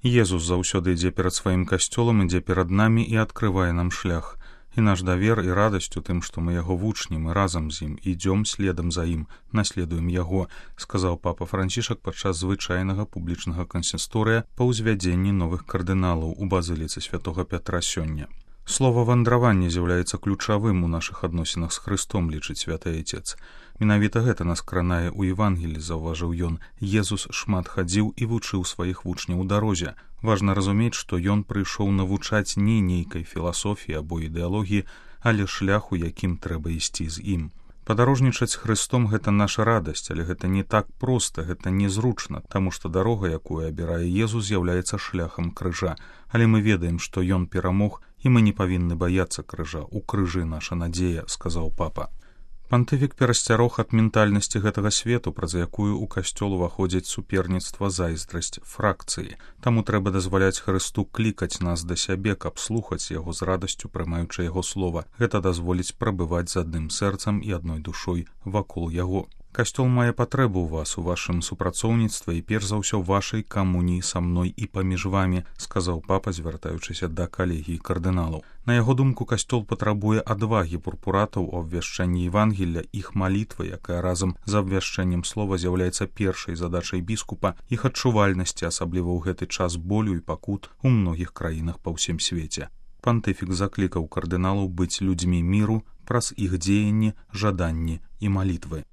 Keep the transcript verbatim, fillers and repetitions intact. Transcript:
Езус заўсёды ідзе перад сваім касцёлам, ідзе перад намі і адкрывае нам шлях. І наш давер і радасць у тым, што мы яго вучні, мы разам з ім, ідзём следам за ім, наследуем яго, сказаў папа Францішак падчас звычайнага публічнага кансісторыя па ўзвядзенні новых кардыналаў у базыліцы святога Пятра сёння. Слова вандраванне з'яўляецца ключавым у нашых адносінах з Хрыстом, лічыць святы Айцец. Менавіта гэта нас кранае ў Евангелі, заўважыў ён. Езус шмат хадзіў і вучыў сваіх вучняў у дарозе. Важна разумець, што ён прыйшоў навучаць не нейкай філасофіі або ідэалогіі, але шляху, якім трэба ісці з ім. Падарожнічаць Хрыстом гэта наша радасць, але гэта не так проста, гэта незручна, таму што дарога, якую абірае Езус, з'яўляецца шляхам крыжа. Але мы ведаем, што ён перамог, і мы не павінны баяцца крыжа. У крыжы наша надзея, сказаў папа. Пантыфік перасцярог ад ментальнасці гэтага свету, праз якую ў касцёл уваходзіць суперніцтва, зайздрасць, фракцыі. Таму трэба дазваляць Хрысту клікаць нас да сябе, каб слухаць яго з радасцю, прымаючы яго слова. Гэта дазволіць прабываць з адным сэрцам і адной душой вакол яго. Касцёл мае патрэбу ў вас, у вашым супрацоўніцтве і перш за ўсё вашай камуніі са мной і паміж вамі, сказаў папа, звяртаючыся да калегіі кардыналаў. На яго думку, касцёл патрабуе адвагі пурпуратаў у абвяшчэнні Евангелля, іх малітвы, якая разам з абвяшчэннем слова з'яўляецца першай задачай біскупа, іх адчувальнасці, асабліва ў гэты час болю і пакут у многіх краінах па ўсім свеце. Пантыфік заклікаў кардыналаў быць людзьмі міру праз іх дзеянні, жаданні і малітвы.